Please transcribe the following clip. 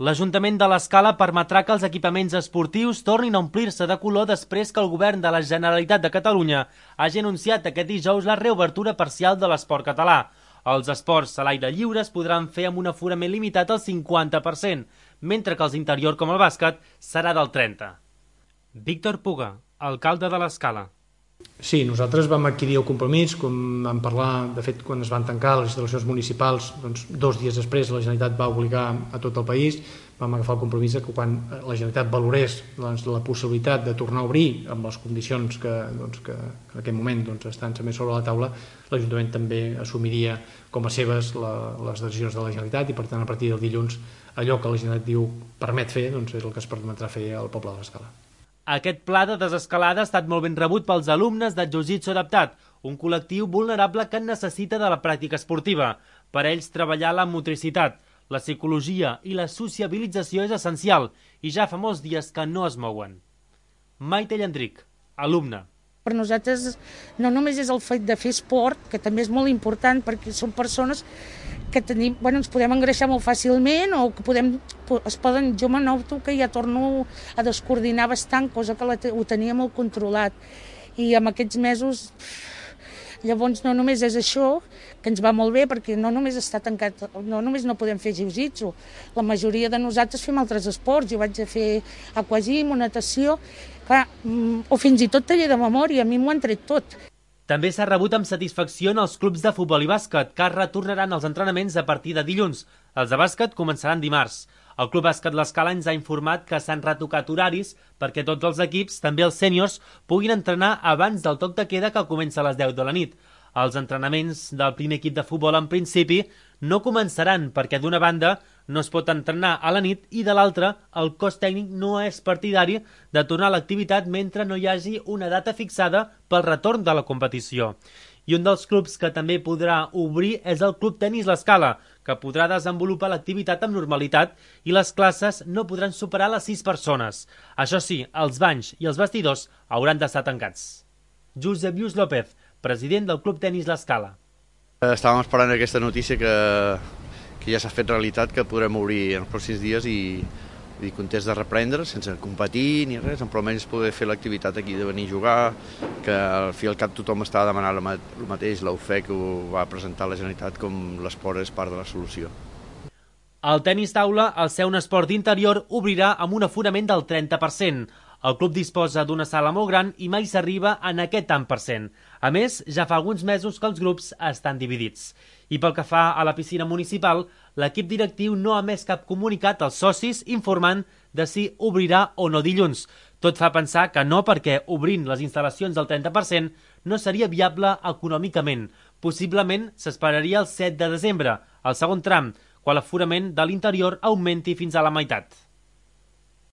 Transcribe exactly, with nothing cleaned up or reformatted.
L'Ajuntament de l'Escala permetrà que els equipaments esportius tornin a omplir-se de color després que el govern de la Generalitat de Catalunya hagi anunciat aquest dijous la reobertura parcial de l'esport català. Els esports a l'aire lliure es podran fer amb un aforament limitat al cinquanta per cent, mentre que els interior com el bàsquet serà del trenta per cent. Víctor Puga, alcalde de l'Escala. Sí, nosaltres vam adquirir el compromís, com vam parlar, de fet, quan es van tancar les instal·lacions municipals, doncs, dos dies després la Generalitat va obligar a tot el país, vam agafar el compromís que quan la Generalitat valorés doncs, la possibilitat de tornar a obrir amb les condicions que, doncs, que en aquest moment doncs, estan també sobre la taula, l'Ajuntament també assumiria com a seves la, les decisions de la Generalitat i, per tant, a partir del dilluns, allò que la Generalitat diu permet fer, doncs, és el que es permetrà fer al poble de l'Escala. Aquest pla de desescalada ha estat molt ben rebut pels alumnes de Jiu-Jitsu adaptat, un col·lectiu vulnerable que necessita de la pràctica esportiva. Per ells, treballar la motricitat, la psicologia i la sociabilització és essencial i ja fa molts dies que no es mouen. Maite Llandric, alumne. Per nosaltres no només és el fet de fer esport, que també és molt important perquè són persones que tenim, bueno, ens podem engreixar molt fàcilment o que podem, es poden, jo me noto que ja torno a descoordinar bastant, cosa que la, ho tenia molt controlat. I en aquests mesos, llavors no només és això, que ens va molt bé perquè no només està tancat, no només no podem fer jiu-jitsu, la majoria de nosaltres fem altres esports, jo vaig a fer aquagym o natació, clar, o fins i tot taller de memòria, a mi m'ho han tret tot. També s'ha rebut amb satisfacció en els clubs de futbol i bàsquet, que retornaran als entrenaments a partir de dilluns. Els de bàsquet començaran dimarts. El Club Bàsquet L'Escala ens ha informat que s'han retocat horaris perquè tots els equips, també els sèniors, puguin entrenar abans del toc de queda que comença a les deu de la nit. Els entrenaments del primer equip de futbol en principi no començaran perquè d'una banda no es pot entrenar a la nit i de l'altra el cos tècnic no és partidari de tornar a l'activitat mentre no hi hagi una data fixada pel retorn de la competició. I un dels clubs que també podrà obrir és el Club Tenis L'Escala, que podrà desenvolupar l'activitat amb normalitat i les classes no podran superar les sis persones. Això sí, els banys i els vestidors hauran d'estar tancats. Josep Lluís López, president del Club Tenis L'Escala. Estàvem esperant aquesta notícia que, que ja s'ha fet realitat, que podrem obrir en els pròxims dies i, i contents de reprendre, sense competir ni res, però almenys poder fer l'activitat aquí de venir a jugar, que al fi i al cap tothom està demanant el mateix, la U F E C ho va presentar a la Generalitat com l'esport és part de la solució. El tenis taula, al ser un esport d'interior, obrirà amb un aforament del trenta per cent. El club disposa d'una sala molt gran i mai s'arriba en aquest tant per cent. A més, ja fa alguns mesos que els grups estan dividits. I pel que fa a la piscina municipal, l'equip directiu no ha emès cap comunicat als socis informant de si obrirà o no dilluns. Tot fa pensar que no, perquè obrint les instal·lacions del trenta per cent no seria viable econòmicament. Possiblement s'esperaria el set de desembre, el segon tram, quan l'aforament de l'interior augmenti fins a la meitat.